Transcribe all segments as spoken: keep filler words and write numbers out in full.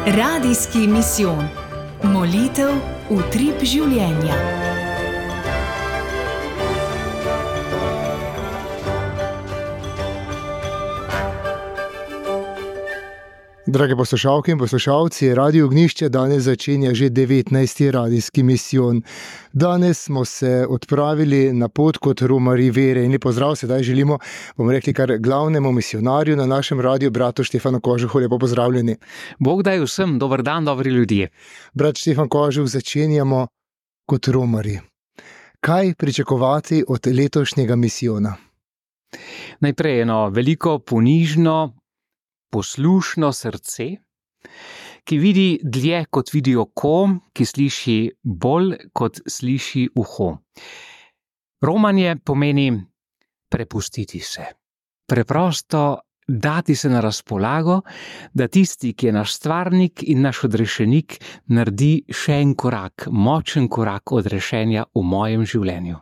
Radijski misijon. Molitev utrip življenja. Drage poslušalke in poslušalci, Radio Ognjišče danes začenja že devetnajsti radijski misijon. Danes smo se odpravili na pot kot romarji vere in lepo pozdrav sedaj želimo, bomo rekli, kar glavnemu misionarju na našem radiju, bratu Štefanu Kožuhu. Lepo pozdravljeni. Bog daj vsem, dober dan, dobri ljudje. Brat Štefan Kožuh, začenjamo kot romarji. Kaj pričakovati od letošnjega misijona? Najprej eno veliko, ponižno, poslušno srce, ki vidi dlje kot vidi oko, ki sliši bolj kot sliši uho. Romanje pomeni prepustiti se. Preprosto dati se na razpolago, da tisti, ki je naš stvarnik in naš odrešenik, naredi še en korak, močen korak odrešenja v mojem življenju.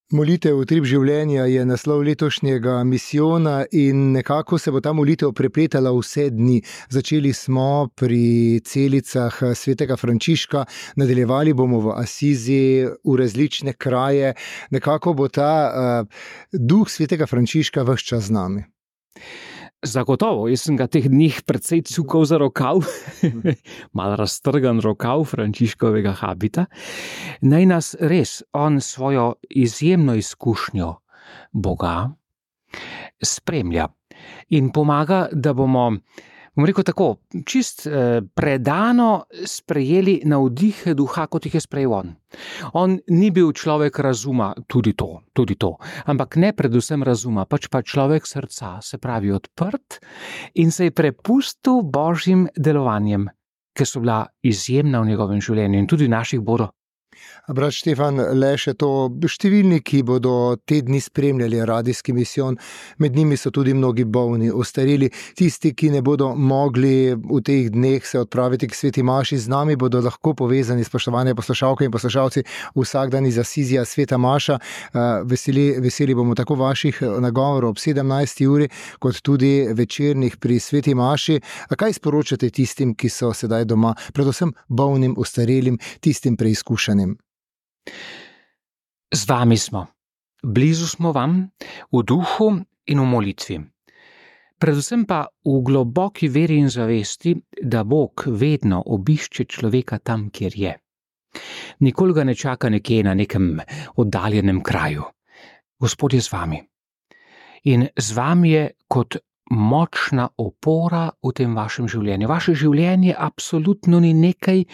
Molitev utrip življenja je naslov letošnjega misijona in nekako se bo ta molitev prepletala vse dni. Začeli smo pri celicah svetega Frančiška, nadaljevali bomo v Asizi, v različne kraje. Nekako bo ta uh, duh svetega Frančiška ves čas z nami. Zagotovo, jaz sem ga teh dnih precej cukal za rokav, malo raztrgan rokav Frančiškovega habita. Naj nas res on svojo izjemno izkušnjo Boga spremlja in pomaga, da bomo, bom rekel tako, čist eh, predano sprejeli navdihe duha, kot jih je sprejel on. On ni bil človek razuma, tudi to, tudi to, ampak ne predvsem razuma, pač pa človek srca, se pravi odprt in se je prepustil božjim delovanjem, ki so bila izjemna v njegovem življenju in tudi naših bodo. Brat Štefan, le še to, številni, ki bodo te dni spremljali radijski misijon, med njimi so tudi mnogi bolni, ostareli, tisti, ki ne bodo mogli v teh dneh se odpraviti k sveti maši, z nami bodo lahko povezani, spoštovane poslušalke in poslušalci, vsak dan iz Asizija sveta maša. Veseli, veseli bomo tako vaših nagovorov ob sedemnajsti uri, kot tudi večernih pri sveti maši. A kaj sporočate tistim, ki so sedaj doma, predvsem bolnim, ostarelim, tistim preizkušanim? Z vami smo, blizu smo vam, v duhu in v molitvi. Predvsem pa v globoki veri in zavesti, da Bog vedno obišče človeka tam, kjer je. Nikoli ga ne čaka nekje na nekem oddaljenem kraju. Gospod je z vami. In z vami je kot močna opora v tem vašem življenju. Vaše življenje absolutno ni nekaj,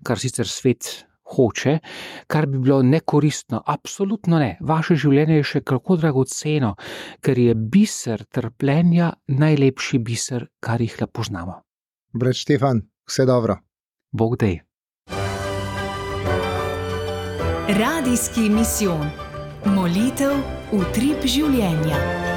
kar sicer svet hoče, kar bi bilo nekoristno. Absolutno ne. Vaše življenje je še kako dragoceno, ker je biser trpljenja najlepši biser, kar jih le poznamo. Brat Štefan, vse dobro. Bog dej. Radijski misijon. Molitev utrip življenja.